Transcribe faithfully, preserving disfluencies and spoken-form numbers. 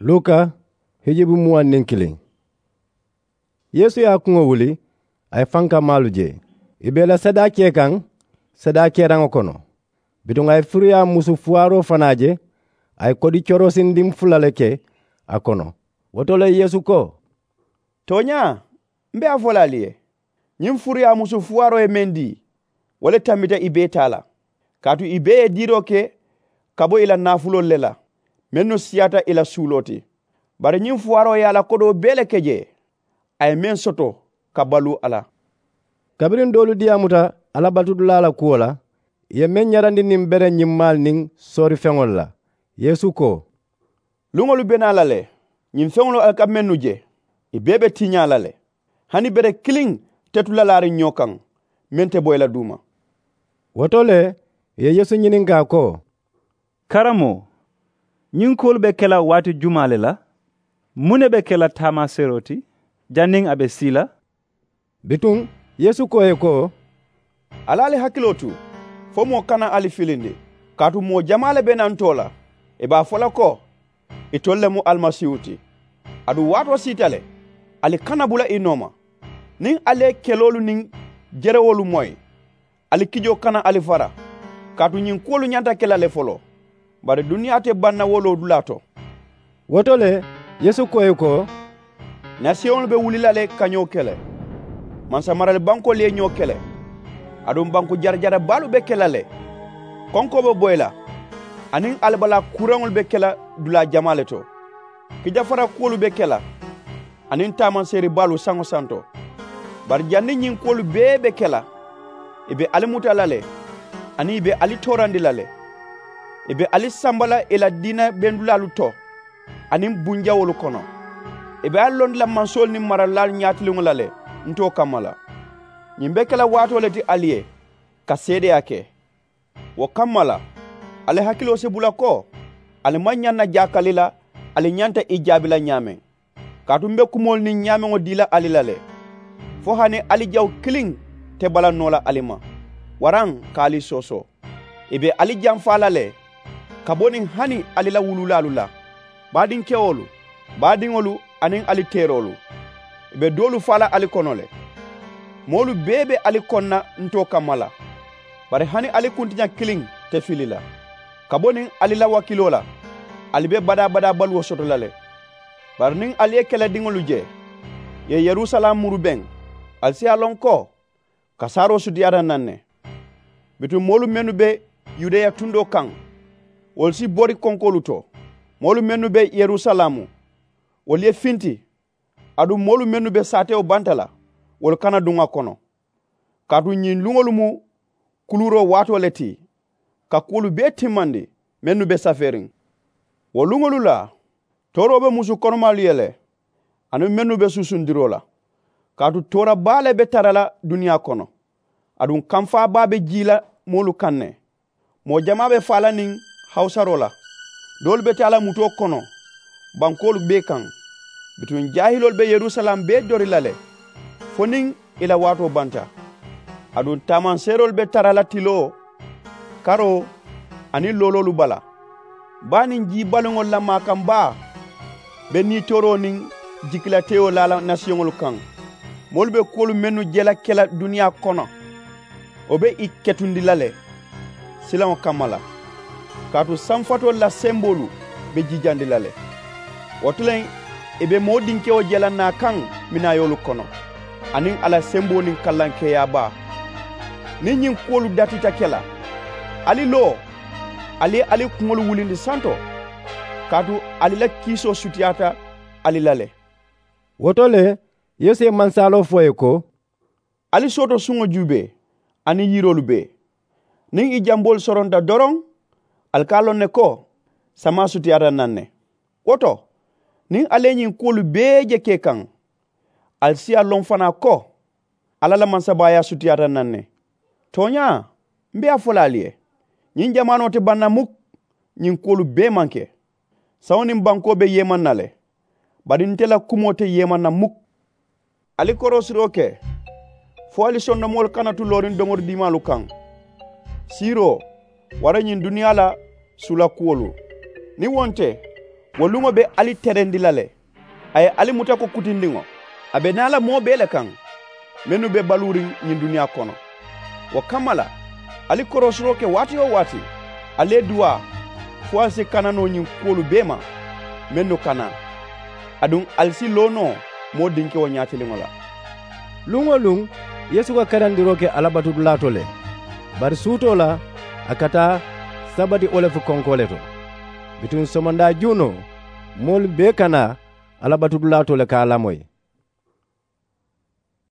Luka hijibu muwaŋ niŋ kiliŋ. Yeesu ye a kuŋo wuli, a ye fankamaalu je, ì be ì la sadaakee kaŋ sadaakeraŋo kono. Bituŋ a ye firiyaa musu fuwaaroo fanaa je, a ye kodi coroosindiŋ fula le ke a kono. Wo to le yeesu ko, tooñaa, m̀ be a fo la ali ye, ñiŋ firiyaa musu fuwaaroo ye meŋ dii, wo le tambita ì bee taa la. Kaatu ì bee ye diiroo ke ka bo ì la naafuloolu le la, mennu siyaata ì la suuloo ti. Bari ñiŋ fuwaaroo ye a la kodoo bee le ke jee, a ye meŋ soto ka baluu a la. Kabiriŋ doolu diyaamuta alla batudulaa la kuwo la, ì ye meŋ ñarandi niŋ bere ñimmaalu niŋ soorifeŋolu la. Yeesu ko, luŋolu be naa la le, ñiŋ feŋolu ali ka mennu je, ì bee be tiñaa la le. Hani bere kiliŋ te tu la laariŋ ñoo kaŋ, meŋ te bo ì la duuma. Wo to le ì ye yeesu ñininkaa ko, karamoo, ñiŋ kuwolu be ke la waati jumaa le la? Muŋ ne be ke la taamaaseeroo ti janniŋ a be sii la? Bituŋ yeesu ko ì ye ko, ali ali hakiloo tu, fo moo kana ali filindi. Kaatu moo jamaa le be nantoo la, ì be a fo la ko, itolu le mu alimasiihu ti. Aduŋ waatoo siita le, ali kana bula ì nooma. Niŋ ali ye keloolu niŋ jerewoolu moyi, ali kijoo kana ali fara. Kaatu ñiŋ kuwolu ñanta ke la le foloo, bari duniyaa te baŋ na wo loodulaa to. Wo to le yeesu ko ì ye ko, nasiyoŋolu be wuli la le ka ñoo kele. Mansamarali bankoolu ye ñoo kele. Aduŋ banku jarajara baalu be ke la le. Konkoo be boyi la, aniŋ alibalaa kuuraŋolu be ke la dulaa jamaa le to. Kijafara kuwolu be ke la, aniŋ taamanseeri baalu saŋo santo. Bari janniŋ ñiŋ kuwolu bee be ke la, ì be ali muta la le, aniŋ ì be ali toorandi la le. Ì be ali samba la ì la diina bendulaalu to aniŋ bunjawoolu kono. Ì be ali londi la mansoolu niŋ maralilaalu ñaatiliŋo la le ntoo kamma la. Ñiŋ be ke la waatoo le ti ali ye ka seedeyaa ke. Wo kamma la, ali hakiloo si bula ko ali maŋ ñaŋ na jaakali la ali ñanta ì jaabi la ñaameŋ. Kaatu m̀ be kumoolu niŋ ñaameŋo dii la ali la le, fo hani ali jaw kiliŋ te bala noo la ali ma, waraŋ ka ali soosoo. Ì be ali janfaa la le ka bo niŋ hani ali la wuluulaalu la, baadinkewoolu, baadiŋolu, aniŋ ali teeroolu. Ì be doolu faa la ali kono le. Moolu bee be ali koŋ na ntoo kamma la. Bari hani ali kuntiña kiliŋ te fili la ka bo niŋ ali la wakiiloo la, ali be badaa-badaa baluwo soto la le. Bari niŋ ali ye kelediŋolu je ì ye yerusalaamu murubeŋ, ali si a loŋ ko kasaaroo sutiyaata naŋ ne. Bituŋ moolu mennu be yudeya tundoo kaŋ, wolu si bori konkoolu to. Moolu mennu be yerusalaamu, wolu ye finti. Aduŋ moolu mennu be saatewo banta la, wolu kana duŋ a kono. Kaatu ñiŋ luŋolu mu kuluuroo waatoo le ti ka kuwolu bee timmandi mennu be safeeriŋ. Wo luŋolu la tooroo be musu konomaalu ye le, aniŋ mennu be suusundiroo la. Kaatu toora baa le be tara la duniyaa kono, aduŋ kamfaa baa be jii la moolu kaŋ ne. Moo jamaa be faa la niŋ hawusaroo la. Doolu be taa la mutoo kono bankoolu bee kaŋ. Bituŋ jaahiloolu be yerusalaamu bee dori la le fo niŋ ì la waatoo banta. Aduŋ taamanseeroolu be tara la tiloo, karoo, aniŋ looloolu bala. Baa niŋ jii baliŋolu la maakan baa be niitooroo niŋ jikilateyoo laa la nasiyoŋolu kaŋ. Moolu be kuwolu mennu je la ke la duniyaa kono, wo be ì ketundi la le silaŋo kamma la. Kaatu sanfatoolu la semboolu be jiijandi la le. Wo to le ì be moo dinkewo je la naa kaŋ minaayoolu kono, aniŋ a la semboo niŋ kallankeeyaa baa. Niŋ ñiŋ kuwolu datita ke la, ali loo, ali ye ali kuŋolu wulindi santo, kaatu ali la kiisoo sutiyaata ali la le. Wo to le yeesu ye mansaaloo fo ì ye ko, ali sooto suŋo juubee aniŋ yiroolu bee. Niŋ ì jamboolu soronta doroŋ, ali ka a loŋ ne ko samaa sutiyaata naŋ ne. Wo to, niŋ ali ye ñiŋ kuwolu bee je kee kaŋ, ali si a loŋ fanaa ko alla la mansabaayaa sutiyaata naŋ ne. Tooñaa, m̀ be a fo la ali ye, ñiŋ jamaanoo te baŋ na muk. Ñiŋ kuwolu bee maŋ ke. Saŋo niŋ bankoo be yeemaŋ na le, bari nte la kumoo te yeemaŋ na muk. Ali koroosiroo ke fo ali sondomoolu kana tu looriŋ domori diimaalu kaŋ, siiroo, waraŋ ñiŋ duniyaa la suulakuwolu. Niŋ wo nte, Wo luŋo be ali terendi la le. A ye ali muta ko kutindiŋo, a be naa la moo bee le kaŋ, mennu be baluuriŋ ñiŋ duniyaa kono. Wo kamma la, ali koroosiroo ke waati-wo-waati, ali ye duwaa, fo ali si kana noo ñiŋ kuwolu bee ma, mennu ka naa. Aduŋ ali si loo noo moo dinkewo ñaatiliŋo la. Luŋ-wo-luŋ, yeesu ka karandiroo ke alabatudulaa to le. Bari suutoo la, a ka taa sabati olefu konkoo le to. Bituŋ somondaa juunoo, moolu bee ka naa alabatudulaa to le ka a lamoyi.